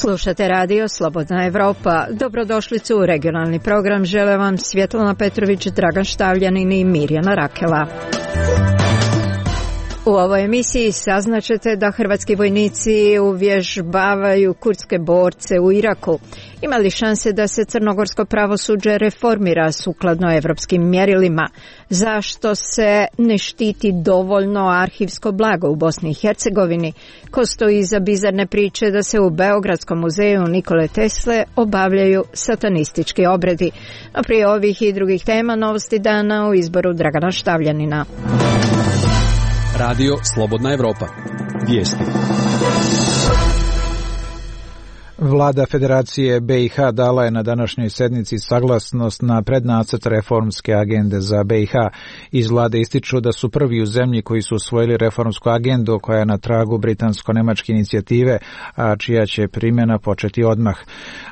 Slušate radio Slobodna Evropa. Dobrodošlicu u regionalni program. Žele vam Svjetlana Petrović, Dragan Štavljanin i Mirjana Rakela. U ovoj emisiji saznaćete da hrvatski vojnici uvježbavaju kurdske borce u Iraku. Ima li šanse da se crnogorsko pravosuđe reformira sukladno evropskim mjerilima? Zašto se ne štiti dovoljno arhivsko blago u Bosni i Hercegovini? Ko stoji iza bizarne priče da se u Beogradskom muzeju Nikole Tesle obavljaju satanistički obredi? No prije ovih i drugih tema novosti dana u izboru Dragana Štavljanina. Radio Slobodna Evropa. Vijesti. Vlada Federacije BiH dala je na današnjoj sjednici saglasnost na prednacrt reformske agende za BiH. Iz vlade ističu da su prvi u zemlji koji su usvojili reformsku agendu koja je na tragu britansko-nemačke inicijative, a čija će primjena početi odmah.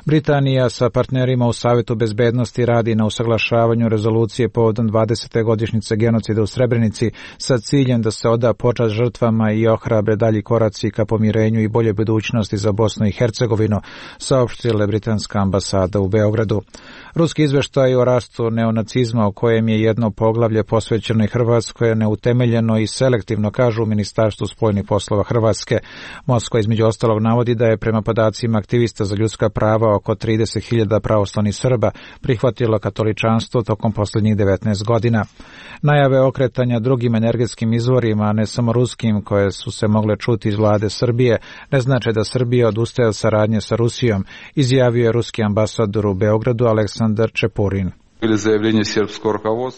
Britanija sa partnerima u Savjetu bezbednosti radi na usaglašavanju rezolucije povodom 20. godišnjice genocida u Srebrenici sa ciljem da se oda počast žrtvama i ohrabre dalji koraci ka pomirenju i bolje budućnosti za Bosnu i Hercegovinu, saopštila britanska ambasada u Beogradu. Ruski izveštaj o rastu neonacizma, u kojem je jedno poglavlje posvećeno i Hrvatskoj, je neutemeljeno i selektivno, kažu u Ministarstvu spoljnih poslova Hrvatske. Moskva između ostalog navodi da je prema podacima aktivista za ljudska prava oko 30.000 pravoslavnih Srba prihvatilo katoličanstvo tokom posljednjih 19 godina. Najave okretanja drugim energetskim izvorima, a ne samo ruskim, koje su se mogle čuti iz vlade Srbije, ne znače da Srbija odustaje od saradnje sa Rusijom, izjavio je ruski ambasador u Beogradu Aleksandar Čepurin.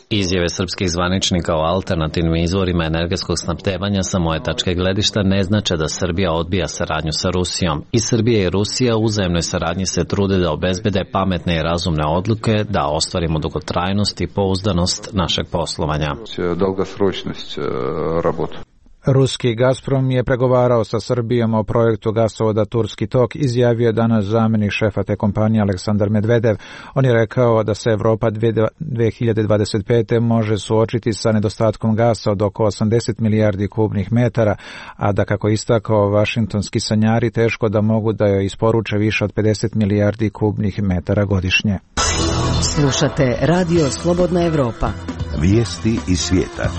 Izjave srpskih zvaničnika o alternativnim izvorima energetskog snabdevanja sa moje tačke gledišta ne znače da Srbija odbija saradnju sa Rusijom. I Srbija i Rusija u uzajamnoj saradnji se trude da obezbede pametne i razumne odluke, da ostvarimo dugotrajnost i pouzdanost našeg poslovanja. Ruski Gazprom je pregovarao sa Srbijom o projektu gasovoda Turski tok, izjavio je danas zamjenik šefa te kompanije Aleksandar Medvedev. On je rekao da se Evropa 2025. može suočiti sa nedostatkom gasa od oko 80 milijardi kubnih metara, a da, kako istakao, vašingtonski sanjari teško da mogu da joj isporuče više od 50 milijardi kubnih metara godišnje. Slušate Radio Slobodna Evropa. Vijesti iz svijeta.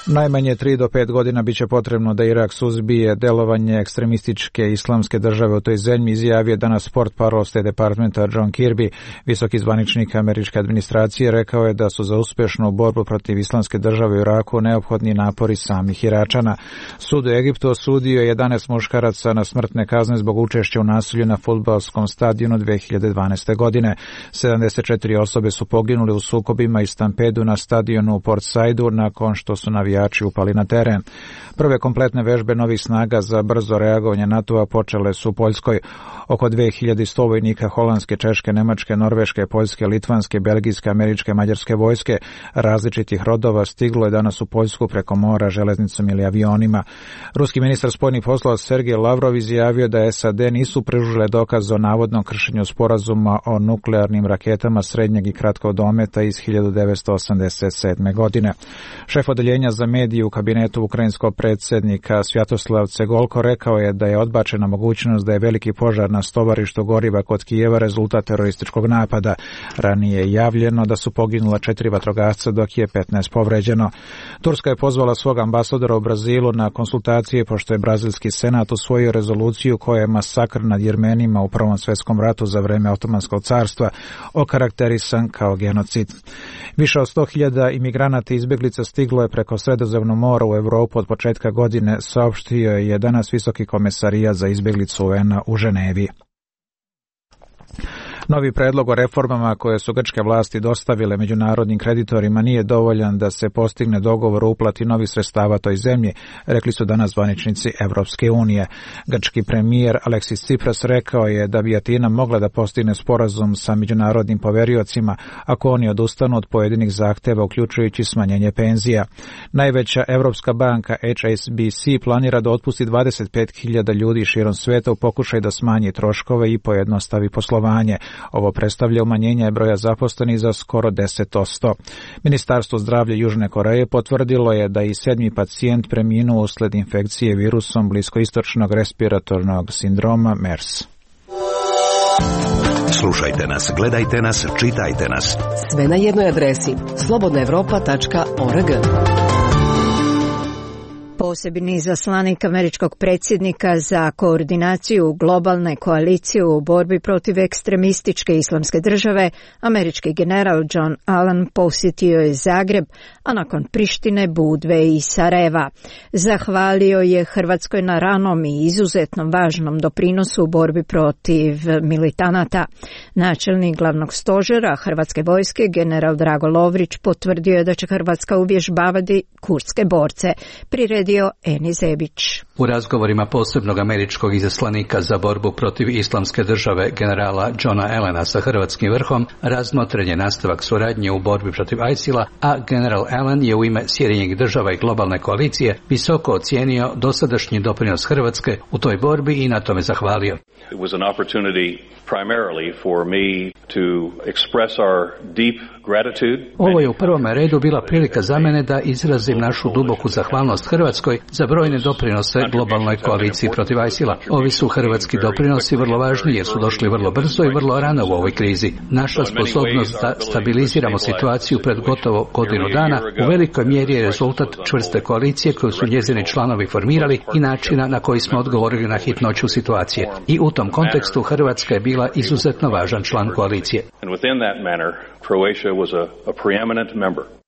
Najmanje 3 do 5 godina biće potrebno da Irak suzbije delovanje ekstremističke islamske države u toj zemlji, izjavio danas portparol State Departmenta John Kirby. Visoki zvaničnik američke administracije rekao je da su za uspješnu borbu protiv islamske države u Iraku neophodni napori samih Iračana. Sud u Egiptu osudio 11 muškaraca na smrtne kazne zbog učešća u nasilju na fudbalskom stadionu 2012. godine. 74 osobe su poginuli u sukobima i stampedu na stadionu u Port Saidu nakon što su navijači upali na teren. Prve kompletne vežbe novih snaga za brzo reagovanje NATO-a počele su u Poljskoj. Oko 2100 vojnika holandske, češke, nemačke, norveške, poljske, litvanske, belgijske, američke, mađarske vojske različitih rodova stiglo je danas u Poljsku preko mora, železnicom ili avionima. Ruski ministar spoljnih poslova Sergej Lavrov izjavio da SAD nisu pružile dokaz o navodnom kršenju sporazuma o nuklearnim raketama srednjeg i kratkog dometa iz 1987. godine. Šef odeljenja za medije u kabinetu ukrajinskog predsjednika Svjatoslav Cegolko rekao je da je odbačena mogućnost da je veliki požar na stovarištu goriva kod Kijeva rezultat terorističkog napada. Ranije je javljeno da su poginula 4 vatrogasca dok je 15 povređeno. Turska je pozvala svog ambasadora u Brazilu na konsultacije pošto je brazilski senat usvojio rezoluciju koja je masakr nad Jermenima u Prvom svjetskom ratu za vrijeme Otomanskog carstva okarakterisan kao genocid. Više od 100.000 imigranata i izbjeglica stiglo je preko Sredozemnog mora u Europu od početka godine, saopštio je danas Visoki komesarijat za izbjeglicu UN-a u Ženevi. Novi predlog o reformama koje su grčke vlasti dostavile međunarodnim kreditorima nije dovoljan da se postigne dogovor o uplati novih sredstava toj zemlji, rekli su danas zvaničnici Evropske unije. Grčki premijer Aleksis Tsipras rekao je da bi Atina mogla da postigne sporazum sa međunarodnim poveriocima ako oni odustanu od pojedinih zahteva, uključujući smanjenje penzija. Najveća evropska banka HSBC planira da otpusti 25.000 ljudi širom sveta u pokušaju da smanji troškove i pojednostavi poslovanje. Ovo predstavlja umanjenje broja zaposlenih za skoro 10%. Ministarstvo zdravlja Južne Koreje potvrdilo je da i 7. pacijent preminuo usled infekcije virusom bliskoistočnog respiratornog sindroma MERS. Slušajte nas, gledajte nas, čitajte nas. Sve na jednoj adresi slobodnaevropa.org. Posebni izaslanik američkog predsjednika za koordinaciju globalne koalicije u borbi protiv ekstremističke islamske države, američki general John Allen posjetio je Zagreb, a nakon Prištine, Budve i Sarajeva. Zahvalio je Hrvatskoj na ranom i izuzetno važnom doprinosu u borbi protiv militanata. Načelnik glavnog stožera Hrvatske vojske, general Drago Lovrić, potvrdio je da će Hrvatska uvježbavati kurdske borce. Priredio Eni Zebić. U razgovorima posebnog američkog izaslanika za borbu protiv islamske države generala Johna Allena sa hrvatskim vrhom razmotren je nastavak suradnje u borbi protiv ISIL-a, a general Allen je u ime Sjedinjenih država i globalne koalicije visoko ocijenio dosadašnji doprinos Hrvatske u toj borbi i na tome zahvalio. It was an opportunity primarily for me to express our deep gratitude. Ovo je u prvom redu bila prilika za mene da izrazim našu duboku zahvalnost Hrvatskoj za brojne doprinose globalnoj koaliciji protiv ISIL-a. Ovi su hrvatski doprinosi vrlo važni jer su došli vrlo brzo i vrlo rano u ovoj krizi. Naša sposobnost da stabiliziramo situaciju pred gotovo godinu dana u velikoj mjeri je rezultat čvrste koalicije koju su njezini članovi formirali i načina na koji smo odgovorili na hitnoću situacije. I u tom kontekstu Hrvatska je bila izuzetno važan član koalicije.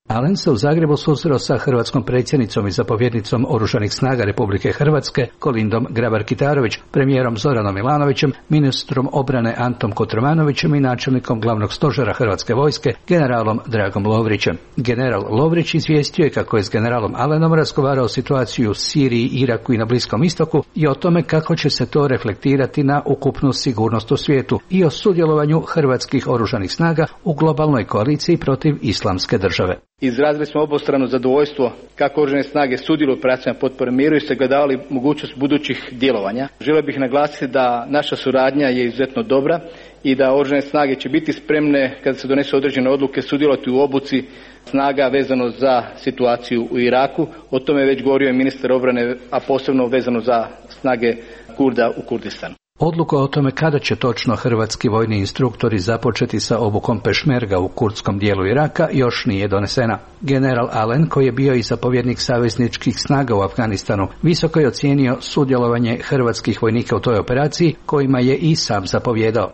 Allen se u Zagrebu susreo sa hrvatskom predsjednicom i zapovjednicom Oružanih snaga Republike Hrvatske Kolindom Grabar-Kitarović, premijerom Zoranom Milanovićem, ministrom obrane Antom Kotromanovićem i načelnikom glavnog stožera Hrvatske vojske generalom Dragom Lovrićem. General Lovrić izvijestio je kako je s generalom Allenom razgovarao o situaciji u Siriji, Iraku i na Bliskom istoku i o tome kako će se to reflektirati na ukupnu sigurnost u svijetu i o sudjelovanju hrvatskih oružanih snaga u globalnoj koaliciji protiv islamske države. Izrazili smo obostrano zadovoljstvo kako oružane snage sudjeluju u operacijama potpore miru i sagledavali mogućnost budućih djelovanja. Želio bih naglasiti da naša suradnja je izuzetno dobra i da oružane snage će biti spremne kada se donesu određene odluke sudjelovati u obuci snaga vezano za situaciju u Iraku. O tome je već govorio i ministar obrane, a posebno vezano za snage Kurda u Kurdistanu. Odluka o tome kada će točno hrvatski vojni instruktori započeti sa obukom pešmerga u kurdskom dijelu Iraka još nije donesena. General Allen, koji je bio i zapovjednik savezničkih snaga u Afganistanu, visoko je ocijenio sudjelovanje hrvatskih vojnika u toj operaciji, kojima je i sam zapovjedao.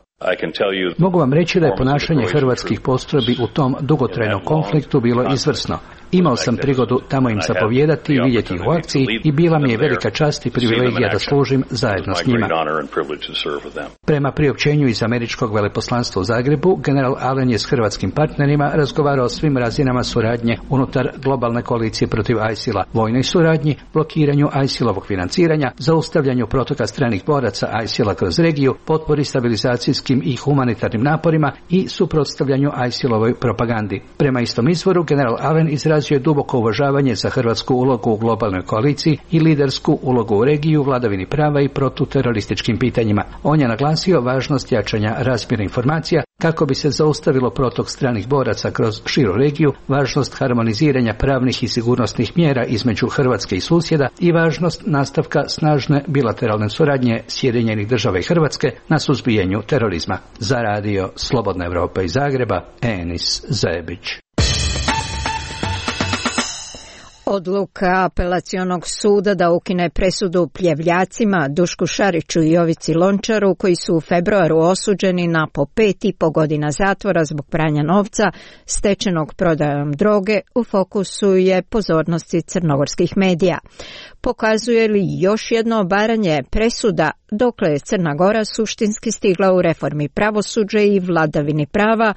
Mogu vam reći da je ponašanje hrvatskih postrojbi u tom dugotrajnom konfliktu bilo izvrsno. Imao sam prigodu tamo im zapovijedati i vidjeti ih u akciji i bila mi je velika čast i privilegija da služim zajedno s njima. Prema priopćenju iz američkog veleposlanstva u Zagrebu, general Allen je s hrvatskim partnerima razgovarao o svim razinama suradnje unutar globalne koalicije protiv ISIL-a, vojnoj suradnji, blokiranju ISIL-ovog financiranja, zaustavljanju protoka stranih boraca ISIL-a kroz regiju, potpori stabilizacijskim i humanitarnim naporima i suprotstavljanju ISIL-ovoj propagandi. Prema istom izvoru, general Allen izrazio je duboko uvažavanje za hrvatsku ulogu u globalnoj koaliciji i lidersku ulogu u regiju, vladavini prava i protuterorističkim pitanjima. On je naglasio važnost jačanja razmjene informacija kako bi se zaustavilo protok stranih boraca kroz širu regiju, važnost harmoniziranja pravnih i sigurnosnih mjera između Hrvatske i susjeda i važnost nastavka snažne bilateralne suradnje Sjedinjenih država i Hrvatske na suzbijanju terorizma. Za radio Slobodna Evropa iz Zagreba, Enis Zebić. Odluka apelacionog suda da ukine presudu pljevljacima Dušku Šariću i Jovici Lončaru, koji su u februaru osuđeni na po 5,5 godina zatvora zbog pranja novca stečenog prodajom droge, u fokusu je pozornosti crnogorskih medija. Pokazuje li još jedno obaranje presuda dokle je Crna Gora suštinski stigla u reformi pravosuđa i vladavini prava,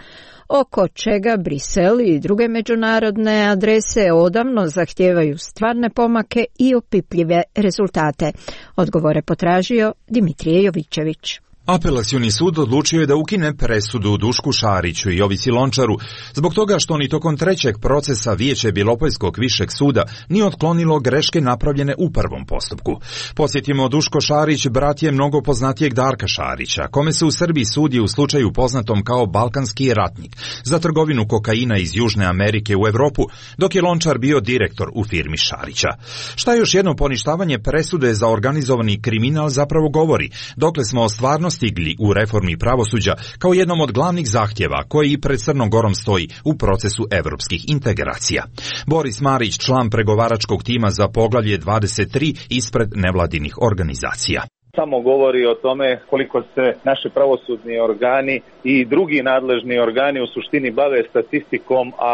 oko čega Brisel i druge međunarodne adrese odavno zahtijevaju stvarne pomake i opipljive rezultate. Odgovore potražio Dimitrije Jovićević. Apelacioni sud odlučio je da ukine presudu Dušku Šariću i Jovici Lončaru zbog toga što ni tokom trećeg procesa Vijeće Bijelopoljskog višeg suda nije otklonilo greške napravljene u prvom postupku. Podsjetimo, Duško Šarić brat je mnogo poznatijeg Darka Šarića, kome se u Srbiji sudi u slučaju poznatom kao balkanski ratnik za trgovinu kokaina iz Južne Amerike u Evropu, dok je Lončar bio direktor u firmi Šarića. Šta još jedno poništavanje presude za organizovani kriminal zapravo govori, dokle smo stvarno stigli u reformi pravosuđa kao jednom od glavnih zahtjeva koji i pred Crnom Gorom stoji u procesu evropskih integracija. Boris Marić, član pregovaračkog tima za poglavlje 23 ispred nevladinih organizacija. Samo govori o tome koliko se naši pravosudni organi i drugi nadležni organi u suštini bave statistikom, a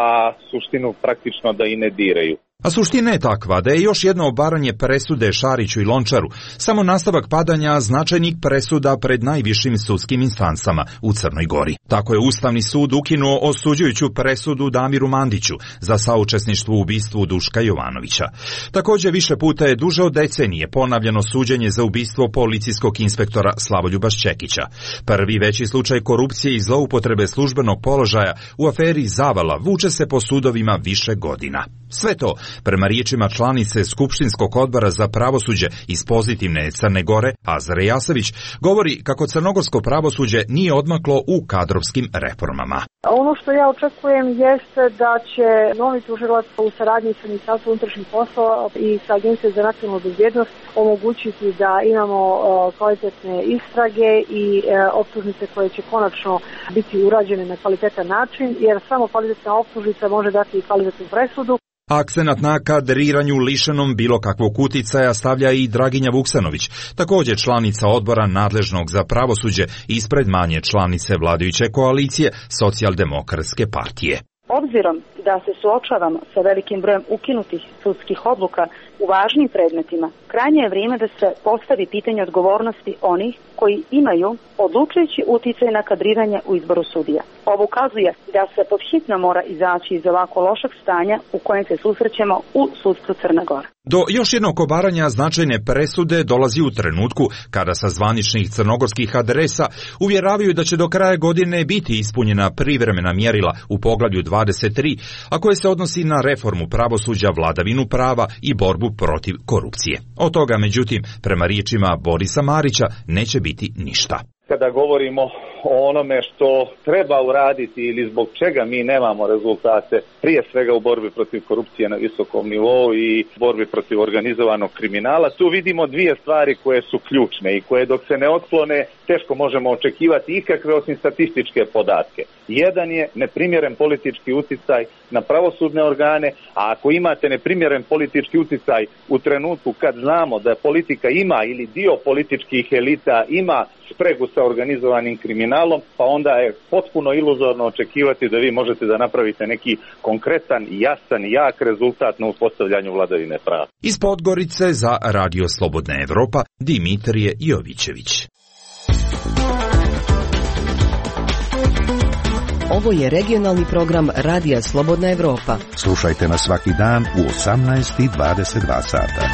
suštinu praktično da i ne diraju. A suština je takva da je još jedno obaranje presude Šariću i Lončaru samo nastavak padanja značajnih presuda pred najvišim sudskim instancama u Crnoj Gori. Tako je Ustavni sud ukinuo osuđujuću presudu Damiru Mandiću za saučesništvo u ubistvu Duška Jovanovića. Također više puta je duže od decenije ponavljano suđenje za ubistvo policijskog inspektora Slavoljuba Šćekića. Prvi veći slučaj korupcije i zloupotrebe službenog položaja u aferi Zavala vuče se po sudovima više godina. Sve to, prema riječima članice Skupštinskog odbora za pravosuđe iz pozitivne Crne Gore, Azra Jasavić, govori kako crnogorsko pravosuđe nije odmaklo u kadrovskim reformama. Ono što ja očekujem jeste da će novi tužilac u saradnji sa Ministarstvom unutrašnjih poslova i sa Agencijom za nacionalnu bezbjednost omogućiti da imamo kvalitetne istrage i optužnice koje će konačno biti urađene na kvalitetan način, jer samo kvalitetna optužnica može dati i kvalitetnu presudu. Akcenat na kadriranju lišenom bilo kakvog uticaja stavlja i Draginja Vuksanović, također članica odbora nadležnog za pravosuđe ispred manje članice vladajuće koalicije Socijaldemokratske partije. Obzirom da se suočavamo sa velikim brojem ukinutih sudskih odluka u važnim predmetima, krajnje je vrijeme da se postavi pitanje odgovornosti onih koji imaju odlučujući uticaj na kadriranje u izboru sudija. Ovo ukazuje da se pod hitno mora izaći iz ovako lošeg stanja u kojem se susrećemo u sudstvu Crne Gore. Do još jednog obaranja značajne presude dolazi u trenutku kada sa zvaničnih crnogorskih adresa uvjeravaju da će do kraja godine biti ispunjena privremena mjerila u poglavlju 23, a koje se odnosi na reformu pravosuđa, vladavinu prava i borbu protiv korupcije. Od toga, međutim, prema riječima Borisa Marića, neće biti ništa. Kada govorimo o onome što treba uraditi ili zbog čega mi nemamo rezultate, prije svega u borbi protiv korupcije na visokom nivou i borbi protiv organizovanog kriminala, tu vidimo dvije stvari koje su ključne i koje dok se ne otklone teško možemo očekivati ikakve osim statističke podatke. Jedan je neprimjeren politički uticaj na pravosudne organe, a ako imate neprimjeren politički uticaj u trenutku kad znamo da politika ima ili dio političkih elita ima spregu sa organizovanim kriminalom, pa onda je potpuno iluzorno očekivati da vi možete da napravite neki konkretan, jasan, jak rezultat na uspostavljanju vladavine prava. Iz Podgorice za Radio Slobodna Evropa, Dimitrije Jovićević. Ovo je regionalni program Radija Slobodna Evropa. Slušajte nas svaki dan u 18:22 sata.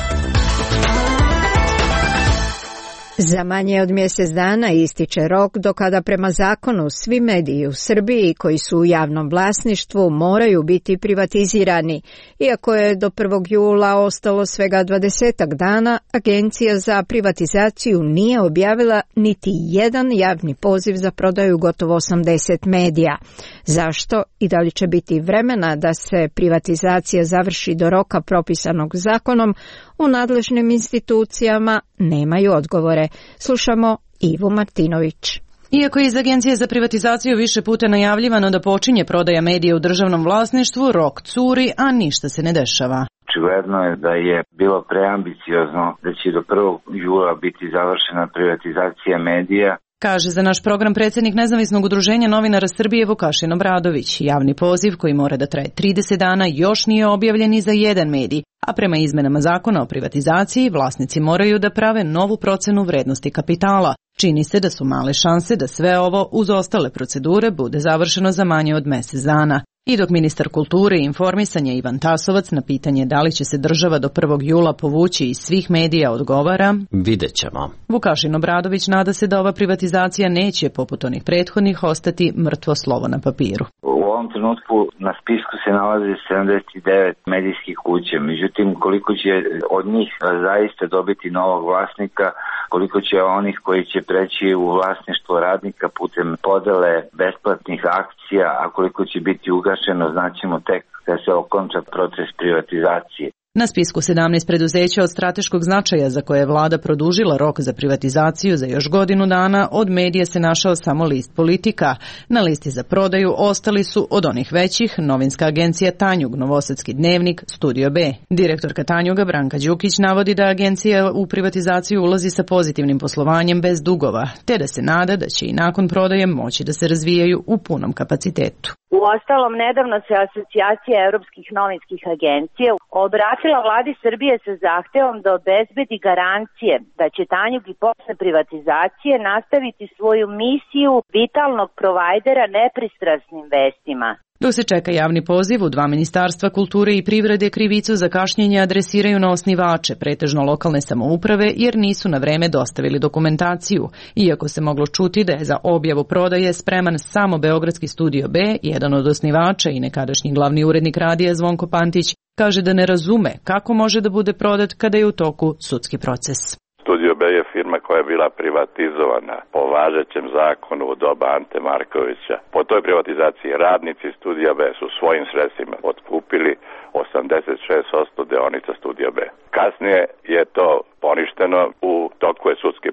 Za manje od mjesec dana ističe rok do kada prema zakonu svi mediji u Srbiji koji su u javnom vlasništvu moraju biti privatizirani. Iako je do 1. jula ostalo svega 20 dana, Agencija za privatizaciju nije objavila niti jedan javni poziv za prodaju gotovo 80 medija. Zašto i da li će biti vremena da se privatizacija završi do roka propisanog zakonom, u nadležnim institucijama nemaju odgovore. Slušamo Ivu Martinović. Iako je iz Agencije za privatizaciju više puta najavljivano da počinje prodaja medija u državnom vlasništvu, rok curi, a ništa se ne dešava. Očigledno je da je bilo preambiciozno da će do 1. jula biti završena privatizacija medija. Kaže za naš program predsjednik Nezavisnog udruženja novinara Srbije Vukašin Obradović. Javni poziv koji mora da traje 30 dana još nije objavljen ni za jedan medij, a prema izmenama zakona o privatizaciji vlasnici moraju da prave novu procenu vrednosti kapitala. Čini se da su male šanse da sve ovo uz ostale procedure bude završeno za manje od mjesec dana. I dok ministar kulture i informisanja Ivan Tasovac na pitanje da li će se država do 1. jula povući iz svih medija odgovara: vidjet ćemo. Vukašin Obradović nada se da ova privatizacija neće, poput onih prethodnih, ostati mrtvo slovo na papiru. U ovom trenutku na spisku se nalazi 79 medijskih kuća, međutim koliko će od njih zaista dobiti novog vlasnika, koliko će onih koji će preći u vlasništvo radnika putem podele besplatnih akcija, a koliko će biti ugašeno znaćemo tek kad se okonča proces privatizacije. Na spisku 17 preduzeća od strateškog značaja za koje je vlada produžila rok za privatizaciju za još godinu dana, od medija se našao samo list Politika. Na listi za prodaju ostali su od onih većih novinska agencija Tanjug, Novosadski dnevnik, Studio B. Direktorka Tanjuga Branka Đukić navodi da agencija u privatizaciju ulazi sa pozitivnim poslovanjem bez dugova, te da se nada da će i nakon prodaje moći da se razvijaju u punom kapacitetu. Uostalom, nedavno se Asocijacija europskih novinskih agencija obratila vladi Srbije sa zahtevom da obezbedi garancije da će Tanjug i posle privatizacije nastaviti svoju misiju vitalnog provajdera nepristrasnim vestima. Dok se čeka javni poziv, u 2 ministarstva kulture i privrede krivicu za kašnjenje adresiraju na osnivače, pretežno lokalne samouprave, jer nisu na vreme dostavili dokumentaciju. Iako se moglo čuti da je za objavu prodaje spreman samo Beogradski Studio B, jedan od osnivača i nekadašnji glavni urednik radija Zvonko Pantić kaže da ne razume kako može da bude prodat kada je u toku sudski proces. Studio B je firma koja je bila privatizovana po važećem zakonu u doba Ante Markovića. Po toj privatizaciji radnici Studija B su svojim sredstvima otkupili 86% dionica Studija B. Kasnije je to poništeno, u toku je sudski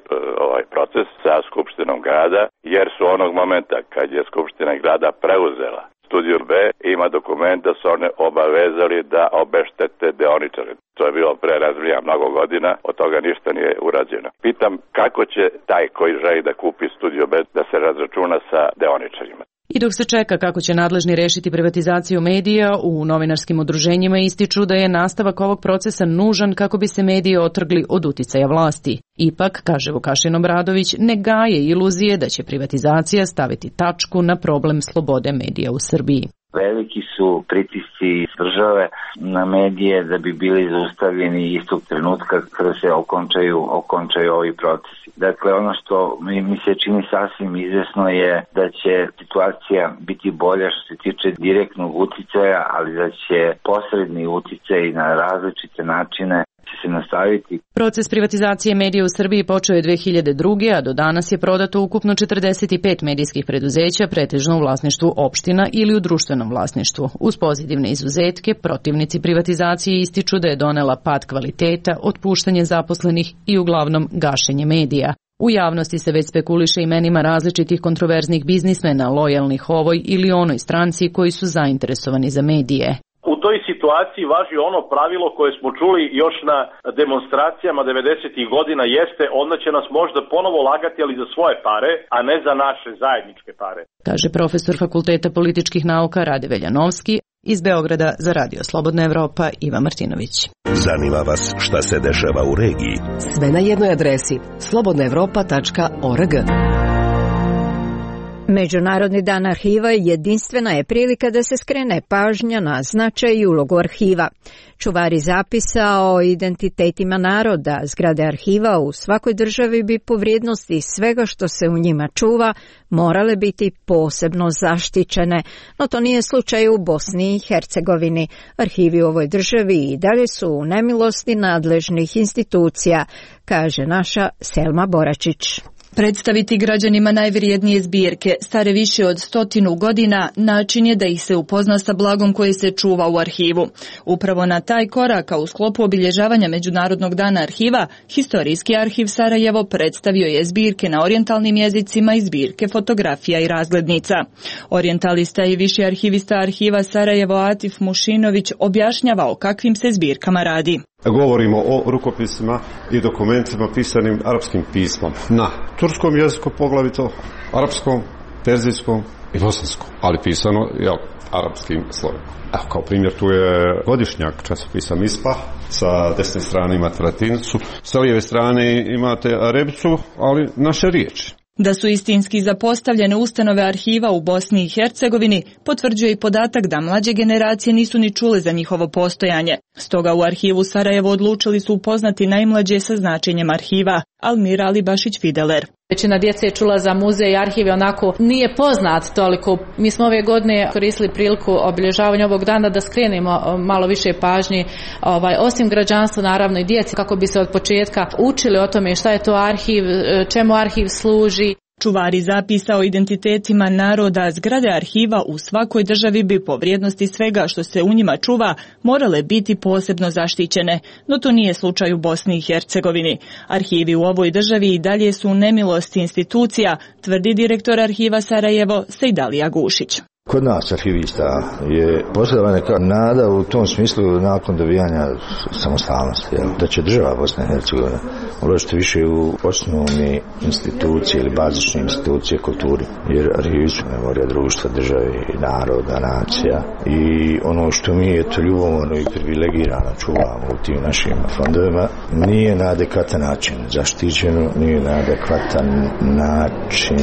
proces sa Skupštinom grada, jer su onog momenta kad je Skupština grada preuzela Studio B, ima dokument da su one obavezali da obeštete deoničare. To je bilo pre razvija mnogo godina, od toga ništa nije urađeno. Pitam kako će taj koji želi da kupi Studio B da se razračuna sa deoničarima. I dok se čeka kako će nadležni rešiti privatizaciju medija, u novinarskim udruženjima ističu da je nastavak ovog procesa nužan kako bi se mediji otrgli od uticaja vlasti. Ipak, kaže Vukašin Obradović, ne gaje iluzije da će privatizacija staviti tačku na problem slobode medija u Srbiji. Veliki su pritisci države na medije da bi bili zaustavljeni istog trenutka kada se okončaju ovi procesi. Dakle, ono što mi se čini sasvim izvesno je da će situacija biti bolja što se tiče direktnog uticaja, ali da će posredni uticaj na različite načine se nastaviti. Proces privatizacije medija u Srbiji počeo je 2002. a do danas je prodato ukupno 45 medijskih preduzeća, pretežno u vlasništvu opština ili u društvenom vlasništvu. Uz pozitivne izuzetke, protivnici privatizacije ističu da je donela pad kvaliteta, otpuštanje zaposlenih i uglavnom gašenje medija. U javnosti se već spekuliše imenima različitih kontroverznih biznismena, lojalnih ovoj ili onoj stranci koji su zainteresovani za medije. U toj situaciji važi ono pravilo koje smo čuli još na demonstracijama 90. godina, jeste onda će nas možda ponovo lagati, ali za svoje pare, a ne za naše zajedničke pare. Kaže profesor Fakulteta političkih nauka Rade Veljanovski. Iz Beograda za Radio Slobodna Evropa Iva Martinović. Zanima vas šta se dešava u regiji? Sve na jednoj adresi slobodnaevropa.org. Međunarodni dan arhiva jedinstvena je prilika da se skrene pažnja na značaj i ulogu arhiva. Čuvari zapisa o identitetima naroda, zgrade arhiva u svakoj državi bi po vrijednosti svega što se u njima čuva morale biti posebno zaštićene, no to nije slučaj u Bosni i Hercegovini. Arhivi u ovoj državi i dalje su u nemilosti nadležnih institucija, kaže naša Selma Boračić. Predstaviti građanima najvrijednije zbirke, stare više od 100 godina, način je da ih se upozna sa blagom koje se čuva u arhivu. Upravo na taj korak, a u sklopu obilježavanja Međunarodnog dana arhiva, Historijski arhiv Sarajevo predstavio je zbirke na orijentalnim jezicima i zbirke fotografija i razglednica. Orijentalista i viši arhivista arhiva Sarajevo Atif Mušinović objašnjava o kakvim se zbirkama radi. Govorimo o rukopisima i dokumentima pisanim arapskim pismom. Na turskom jeziku poglavito, arapskom, perzijskom i bosanskom, ali pisano arapskim slovima. Evo, kao primjer tu je godišnjak časopisa Misbah, sa desne strane imate latinicu, sa lijeve strane imate arebicu, ali naše riječi. Da su istinski zapostavljene ustanove arhiva u Bosni i Hercegovini potvrđuje i podatak da mlađe generacije nisu ni čule za njihovo postojanje. Stoga u arhivu Sarajevo odlučili su upoznati najmlađe sa značenjem arhiva. Almira Alibašić-Fideler. Većina djece je čula za muzej i arhive, onako nije poznat toliko. Mi smo ove godine koristili priliku obilježavanja ovog dana da skrenemo malo više pažnje, osim građanstva, naravno i djeci, kako bi se od početka učili o tome šta je to arhiv, čemu arhiv služi. Čuvari zapisa o identitetima naroda, zgrade arhiva u svakoj državi bi po vrijednosti svega što se u njima čuva morale biti posebno zaštićene, no to nije slučaj u Bosni i Hercegovini. Arhivi u ovoj državi i dalje su u nemilosti institucija, tvrdi direktor arhiva Sarajevo Sejdalija Gušić. Kod nas arhivista je postojala neka nada u tom smislu nakon dobijanja samostalnosti, da će država Bosne i Hercegovine uložiti više u osnovne institucije ili bazične institucije kulturi, jer arhivi su memorija društva, države, naroda, nacija i ono što mi je to ljubomorno i privilegirano čuvamo u tim našim fondovima nije na adekvatan način zaštićeno, nije na adekvatan način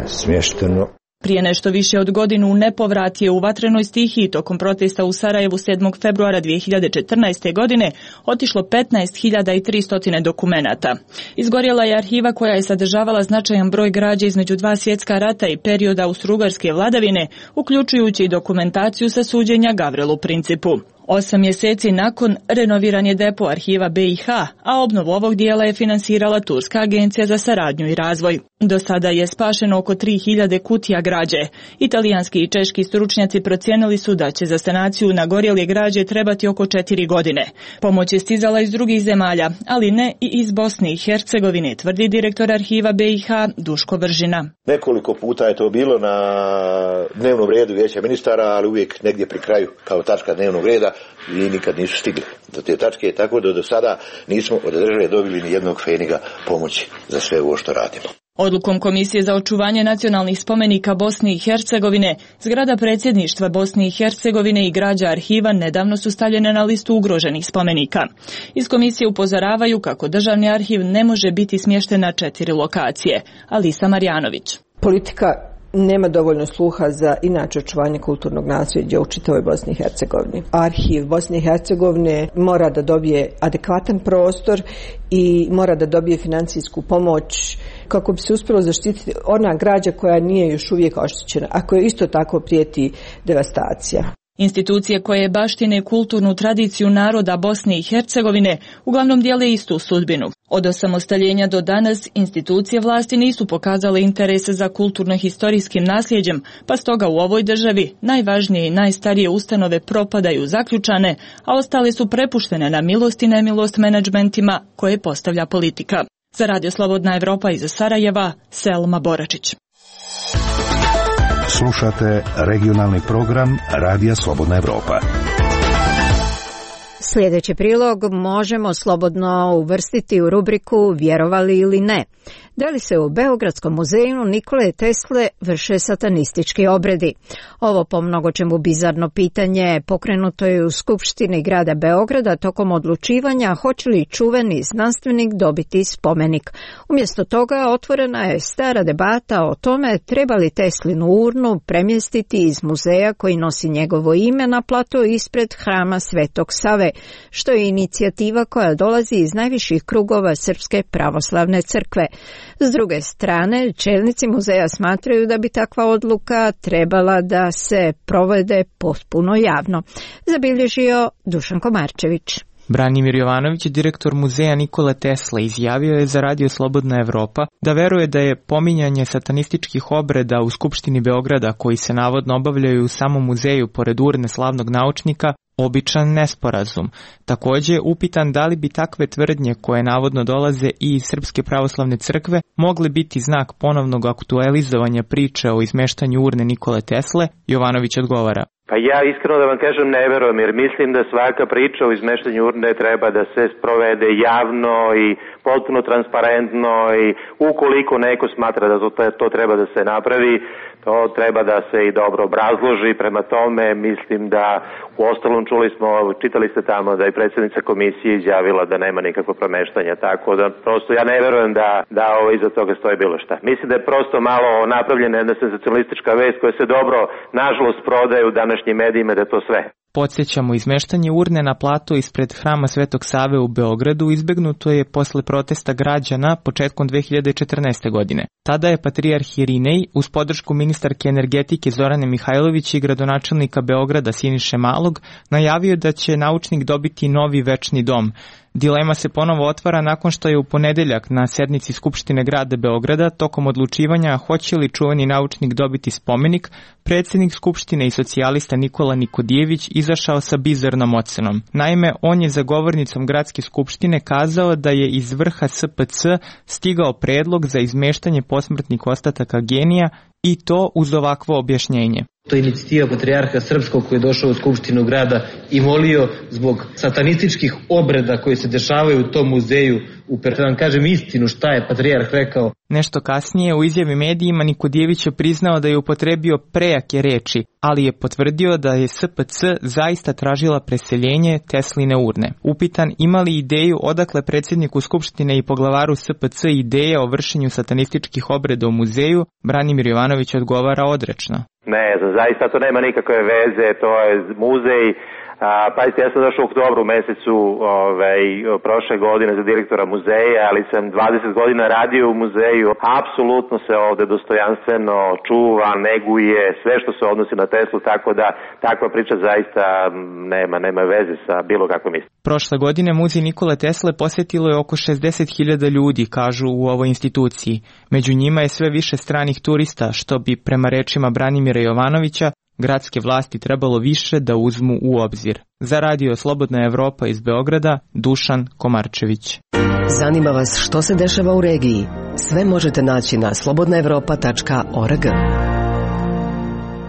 smješteno. Prije nešto više od godinu u nepovrat je u vatrenoj stihiji tokom protesta u Sarajevu 7. februara 2014. godine otišlo 15.300 dokumenata. Izgorjela je arhiva koja je sadržavala značajan broj građe između 2 svjetska rata i perioda austrougarske vladavine, uključujući i dokumentaciju sa suđenja Gavrelu Principu. 8 mjeseci nakon renoviran je depo arhiva BiH, a obnovu ovog dijela je finansirala Turska agencija za saradnju i razvoj. Do sada je spašeno oko 3000 kutija građe. Italijanski i češki stručnjaci procijenili su da će za sanaciju nagorjele građe trebati oko 4 godine. Pomoć je stizala iz drugih zemalja, ali ne i iz Bosne i Hercegovine, tvrdi direktor arhiva BiH Duško Vržina. Nekoliko puta je to bilo na dnevnom redu Vijeća ministara, ali uvijek negdje pri kraju kao tačka dnevnog reda i nikad nisu stigli do te tačke, tako da do sada nismo od države dobili ni jednog feniga pomoći za sve ovo što radimo. Odlukom Komisije za očuvanje nacionalnih spomenika Bosne i Hercegovine, zgrada predsjedništva Bosne i Hercegovine i građa arhiva nedavno su stavljene na listu ugroženih spomenika. Iz komisije upozoravaju kako državni arhiv ne može biti smješten na 4 lokacije. Alisa Marjanović. Politika nema dovoljno sluha za inače očuvanje kulturnog nasljeđa u čitavoj Bosni i Hercegovini. Arhiv Bosne i Hercegovine mora da dobije adekvatan prostor i mora da dobije financijsku pomoć kako bi se uspjelo zaštititi ona građa koja nije još uvijek oštećena, a koja isto tako prijeti devastacija. Institucije koje baštine kulturnu tradiciju naroda Bosne i Hercegovine uglavnom dijele istu sudbinu. Od osamostaljenja do danas institucije vlasti nisu pokazale interese za kulturno-historijskim nasljeđem, pa stoga u ovoj državi najvažnije i najstarije ustanove propadaju zaključane, a ostale su prepuštene na milost i nemilost menadžmentima koje postavlja politika. Za Radio Slobodna Evropa iz Sarajeva, Selma Boračić. Slušate regionalni program Radija Slobodna Evropa. Sljedeći prilog možemo slobodno uvrstiti u rubriku Vjerovali ili ne. Da li se u Beogradskom muzeju Nikole Tesle vrše satanistički obredi? Ovo po mnogočemu bizarno pitanje pokrenuto je u Skupštini grada Beograda tokom odlučivanja hoće li čuveni znanstvenik dobiti spomenik. Umjesto toga otvorena je stara debata o tome treba li Teslinu urnu premjestiti iz muzeja koji nosi njegovo ime na plato ispred hrama Svetog Save, što je inicijativa koja dolazi iz najviših krugova Srpske pravoslavne crkve. S druge strane, čelnici muzeja smatraju da bi takva odluka trebala da se provede potpuno javno. Zabilježio Dušan Komarčević. Branimir Jovanović, direktor muzeja Nikole Tesle, izjavio je za Radio Slobodna Evropa da veruje da je pominjanje satanističkih obreda u Skupštini Beograda koji se navodno obavljaju u samom muzeju pored urne slavnog naučnika običan nesporazum. Također, upitan da li bi takve tvrdnje koje navodno dolaze i iz Srpske pravoslavne crkve mogle biti znak ponovnog aktualizovanja priče o izmeštanju urne Nikole Tesle, Jovanović odgovara. Pa ja iskreno da vam kažem ne verujem, jer mislim da svaka priča o izmeštanju urne treba da se sprovede javno i potpuno transparentno i ukoliko neko smatra da to treba da se napravi, to treba da se i dobro obrazloži, prema tome mislim da u ostalom čitali ste tamo da je predsjednica komisije izjavila da nema nikakvo promeštanja, tako da prosto ja ne verujem da iza toga stoji bilo šta. Mislim da je prosto malo napravljena jedna senzacionalistička vest koja se dobro, nažalost, prodaje u današnjim medijima da je to sve. Podsjećamo, izmeštanje urne na plato ispred hrama Svetog Save u Beogradu izbegnuto je posle protesta građana početkom 2014. godine. Tada je patrijarh Irinej uz podršku ministarke energetike Zorane Mihajlović i gradonačelnika Beograda Siniše Malog najavio da će naučnik dobiti novi večni dom. Dilema se ponovo otvara nakon što je u ponedeljak na sednici Skupštine grada Beograda tokom odlučivanja hoće li čuveni naučnik dobiti spomenik, predsjednik Skupštine i socijalista Nikola Nikodijević izašao sa bizarnom ocenom. Naime, on je za govornicom gradske skupštine kazao da je iz vrha SPC stigao predlog za izmeštanje posmrtnih ostataka genija i to uz ovakvo objašnjenje. To je inicijativa patrijarha srpskog koji je došao u Skupštinu grada i molio zbog satanističkih obreda koji se dešavaju u tom muzeju. Da vam kažem istinu šta je patrijarh rekao. Nešto kasnije u izjavi medijima Nikodijević je priznao da je upotrebio prejake reči, ali je potvrdio da je SPC zaista tražila preseljenje Tesline urne. Upitan ima li ideju odakle predsjedniku Skupštine i poglavaru SPC ideje o vršenju satanističkih obreda u muzeju, Branimir Jovanović odgovara odrečno. Ne, zaista to nema nikakve veze, to je muzej. Pazite, ja sam došao u oktobru mesecu prošle godine za direktora muzeja, ali sam 20 godina radio u muzeju. Apsolutno se ovde dostojanstveno čuva, neguje sve što se odnosi na Teslu, tako da takva priča zaista nema veze sa bilo kakvom istinom. Prošle godine muzej Nikole Tesle posjetilo je oko 60.000 ljudi, kažu u ovoj instituciji. Među njima je sve više stranih turista, što bi prema rečima Branimira Jovanovića gradske vlasti trebalo više da uzmu u obzir. Za radio Slobodna Evropa iz Beograda, Dušan Komarčević. Zanima vas što se dešava u regiji? Sve možete naći na slobodnaevropa.org.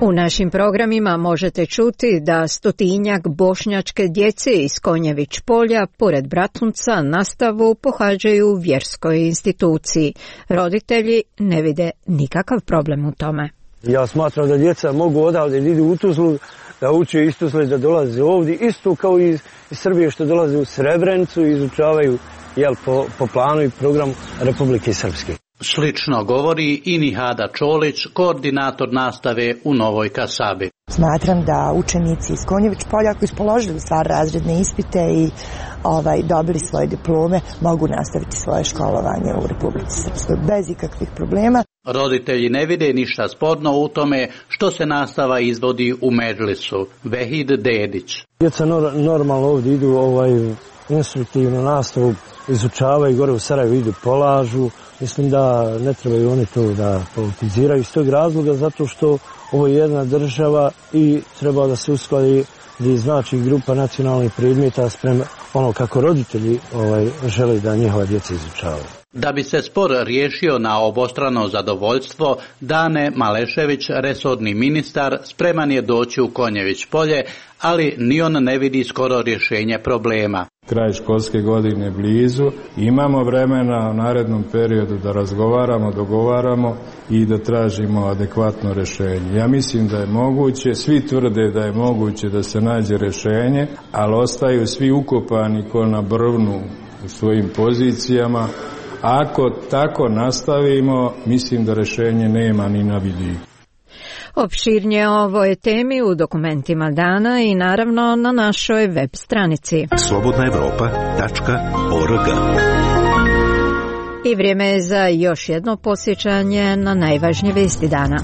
U našim programima možete čuti da 100-tinjak bošnjačke djece iz Konjević polja pored Bratunca nastavu pohađaju u vjerskoj instituciji. Roditelji ne vide nikakav problem u tome. Ja smatram da djeca mogu odavde da idu u Tuzlu, da uče iz Tuzle, da dolaze ovdje, isto kao i iz Srbije što dolaze u Srebrenicu i izučavaju po planu i programu Republike Srpske. Slično govori i Nihada Čolić, koordinator nastave u Novoj Kasabi. Smatram da učenici iz Konjević polja koji su položili stvar razredne ispite i dobili svoje diplome mogu nastaviti svoje školovanje u Republici Srpskoj bez ikakvih problema. Roditelji ne vide ništa sporno u tome što se nastava izvodi u Medžlisu. Vehid Dedić. Djeca normalno ovdje idu instruktivnu nastavu, izučavaju, gore u Sarajevu idu, polažu. Mislim da ne trebaju oni to da politiziraju iz tog razloga, zato što ovo je jedna država i treba da se uskladi znači grupa nacionalnih predmeta sprem ono kako roditelji žele da njihova djeca izučavaju. Da bi se spor riješio na obostrano zadovoljstvo, Dane Malešević, resorni ministar, spreman je doći u Konjević polje, ali ni on ne vidi skoro rješenje problema. Kraj školske godine blizu, imamo vremena u narednom periodu da razgovaramo, dogovaramo i da tražimo adekvatno rješenje. Ja mislim da je moguće, svi tvrde da je moguće da se nađe rješenje, ali ostaju svi ukopani ko na brvnu u svojim pozicijama. Ako tako nastavimo, mislim da rješenje nema ni na vidiku. Opširnije o ovoj temi u dokumentima dana i naravno na našoj web stranici slobodnaevropa.org. I vrijeme je za još jedno podsjećanje na najvažnije vesti dana.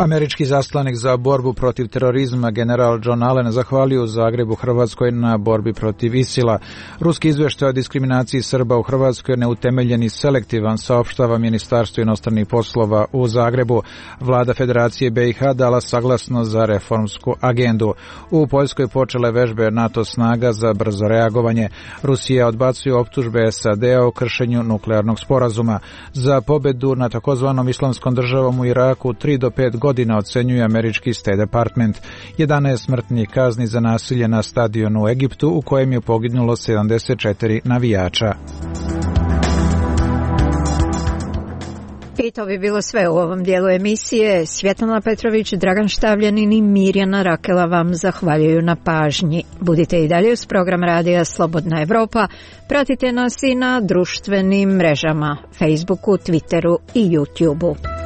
Američki zaslanik za borbu protiv terorizma general John Allen zahvalio u Zagrebu Hrvatskoj na borbi protiv ISIL-a. Ruski izvještaj o diskriminaciji Srba u Hrvatskoj neutemeljen i selektivan, saopštava Ministarstvo inostranih poslova u Zagrebu. Vlada Federacije BiH dala saglasnost za reformsku agendu. U Poljskoj počele vežbe NATO snaga za brzo reagovanje. Rusija odbacuje optužbe SAD-a o kršenju nuklearnog sporazuma. Za pobedu na takozvanom islamskom državom u Iraku 3 do 5 godina ocenjuje američki State Department. 11 smrtnih kazni za nasilje na stadionu u Egiptu u kojem je poginulo 74 navijača. I to bi bilo sve u ovom dijelu emisije. Svjetlana Petrović, Dragan Štavljanin i Mirjana Rakela vam zahvaljuju na pažnji. Budite i dalje uz program radija Slobodna Evropa. Pratite nas i na društvenim mrežama, Facebooku, Twitteru i YouTubeu.